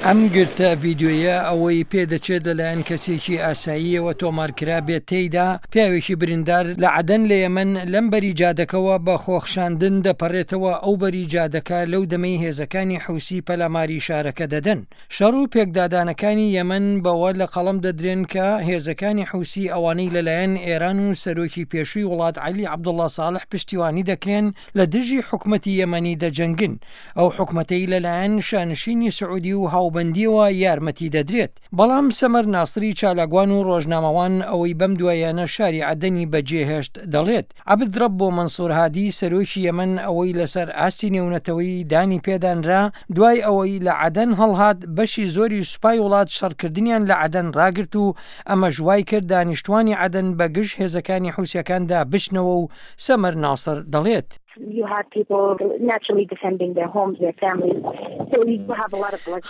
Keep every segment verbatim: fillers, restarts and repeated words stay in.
ئەم گرتە ڤیدیۆیە ئەوەی پێدەچێت لەلایەن کەسێکی ئاساییەوە تۆمارکرابێت، تێیدا پیاوێکی بریندار لە عەدەن لە یەمەن لەم بەری جادەکەوە بە خۆخشاندن دەپەڕێتەوە ئەو بەری جادەکە لەو دەمەی هێزەکانی حوسی پەلاماری شارەکە دەدەن. شەڕ و پێکدادانەکانی یەمەن بەوە لە قەڵەم دەدرێن کە هێزەکانی حوسی ئەوانەی لەلایەن ئێران و سەرۆکی پێشووی وڵات عەلی عەبدوڵڵا ساڵح پشتیوانی دەکرێن لە دژی حکومەتی یەمەنی دەجەنگن، ئەو حکومەتەی لەلایەن شانشینی سعودی و هاوبەندیەوە یارمەتی دەدرێت. بەڵام سەمەر ناسری چالاکوان و ڕۆژنامەوان ئەوەی بەم دواییانە شاری عەدەنی بەجێهێشت دەڵێت، عەبد رەبۆ مەنسور هادی سەرۆکی یەمەن ئەوەی لەسەر ئاستی نێونەتەوەیی دانی پێدانرا دوای ئەوەی لە عەدەن هەڵهات بەشی زۆری سوپای وڵات شەڕکردنیان لە عەدەن ڕاگرت و ئەمەش وای کرد دانیشتوانی عەدەن بە گژ هێزەکانی حوسیەکاندا بچنەوە و سەمەر ناسر دەڵێت.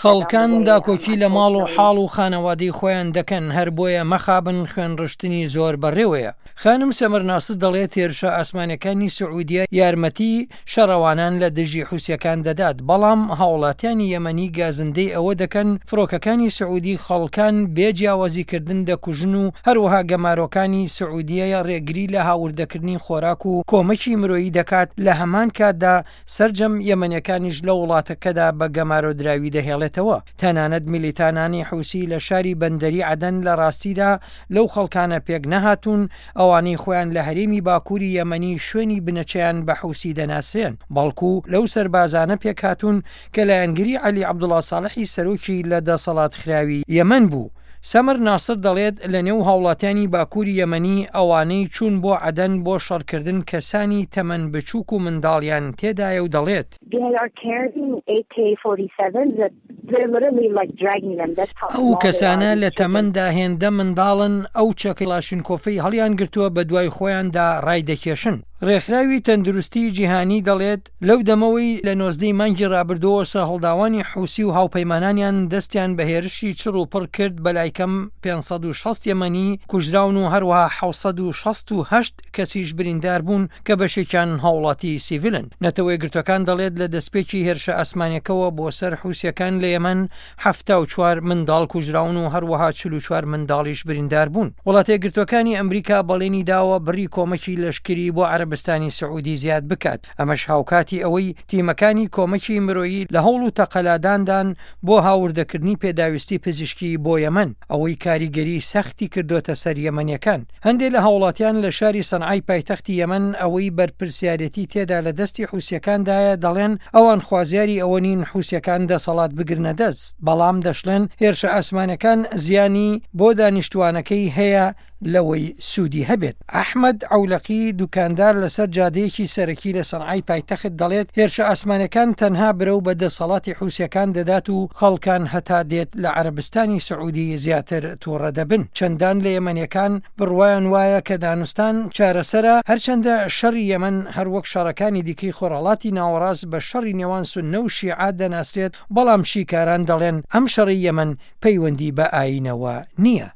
خەڵکان داکۆکی لە ماڵ و حاڵ و خانەوادەی خۆیان دەکەن، هەر بۆیە مەخابن خوێنڕشتنی زۆر بەڕێوەیە. خانم سەمەر ناسر دەڵێت هێرشە ئاسمانیەکانی سعودیە یارمەتی شەڕەوانان لە دژی حوسیەکان دەدات، بەڵام هاوڵاتیانی یەمەنی گازندەی ئەوە دەکەن فڕۆکەکانی سعودی خەڵکان بێ جیاوازیکردن دەکوژن و هەروەها گەمارۆکانی سعودیە ڕێگری لە هاوردەکردنی خۆراک و کۆمەکی مرۆیی دەکات، لە هەمان کاتدا سەرجەم یەمەنیەکانیش لە وڵاتەکەدا بە گەمارۆدراوی دەهێڵێتەوە. تەنانەت میلیتانانی حوسی لە شاری بەندەری عەدەن لە ڕاستیدا لەو خەڵکانە پێک نەهاتوون ئەوانەی خۆیان لە هەرێمی باکووری یەمەنی شوێنی بنەچەیان بە حوسی دەناسرێن، بەڵکو لەو سەربازانە پێکهاتوون کە لایەنگری عەلی عەبدوڵا ساڵحی سەرۆکی لە دەسەڵات خراوی یەمەن بوو. سەمەر ناسر دەڵێت لە نێو هاوڵاتیانی باکووری یەمەنی ئەوانەی چوون بۆ عەدەن بۆ شەڕکردن کەسانی تەمەن بچووک و منداڵیان تێدایە و دەڵێت ئەو کەسانە لە تەمەندا هێندە منداڵن ئەو چەکە کڵاشینکۆفەی هەڵیانگرتووە بەدوای خۆیاندا ڕایدەکێشن. ڕێکخراوی تەندروستی جیهانی دەڵێت لەو دەمەوەی لە نۆزدەی مانگی ڕابردووەوە سەرهەڵداوانی حوسی و هاوپەیمانانیان دەستیان بە هێرشی چڕ و پڕ کرد بەلای کەم پێنج سەد و شەست یەمەنی کوژراون و هەروەها حەوت سەد و شەست و هەشت کەسیش بریندار بوون کە بەشێکیان هاوڵاتی سیڤیلن. نەتەوەیەکگرتووەکان دەڵێت لە دەستپێکی هێرشە ئاسمانیەکەوە بۆ سەر حوسیەکان لە یەمەن حەفتا و چوار منداڵ کوژراون و هەروەها چل و چوار منداڵیش بریندار بوون. وڵاتەیەکگرتووەکانی ئەمریکا بەڵێنی داوە بڕی کۆمەکی لەشکری بۆ عەرەبستانی سعودی زیاد بکات، ئەمەش هاوکاتی ئەوەی تیمەکانی کۆمەکی مرۆیی لە هەوڵ و تەقەلاداندان بۆ هاوردەکردنی پێداویستی پزیشکی بۆ یەمەن، ئەوەی کاریگەری سەختی کردۆتە سەر یەمەنیەکان. هەندێک لە هاوڵاتیان لە شاری سەنعای پایتەختی یەمەن ئەوەی بەرپرسیارێتی تێدا لە دەستی حوسیەکاندایە دەڵێن ئەوان خوازیاری ئەوە نین حوسیەکان دەسەڵات بگرنە دەست، بەڵام دەشڵێن هێرشە ئاسمانەکان زیانی بۆ دانیشتوانەکەی هەیە لەوەی سوودی هەبێت. ئەحمەد عەولەقی دوکاندار لەسەر جادەیەکی سەرەکی لە سەنعای پایتەخت دەڵێت هێرشە ئاسمانەکان تەنها برەو بە دەسەڵاتی حوسیەکان دەدات و خەڵکان هەتا دێت لە عەرەبستانی سعودی زیاتر تووڕە دەبن. چەندان لە یەمەنیەکان بڕوایان وایە کە دانوستان چارەسەرە، هەرچەندە شەڕی یەمەن هەروەک شەڕەکانی دیکەی خۆرهەڵاتی ناوەڕاست بە شەڕی نێوان سوننە و شیعە دەناسرێت، بەڵام شیکاران دەڵێن ئەم شەڕەی یەمەن پەیوەندی بە ئایینەوە نییە.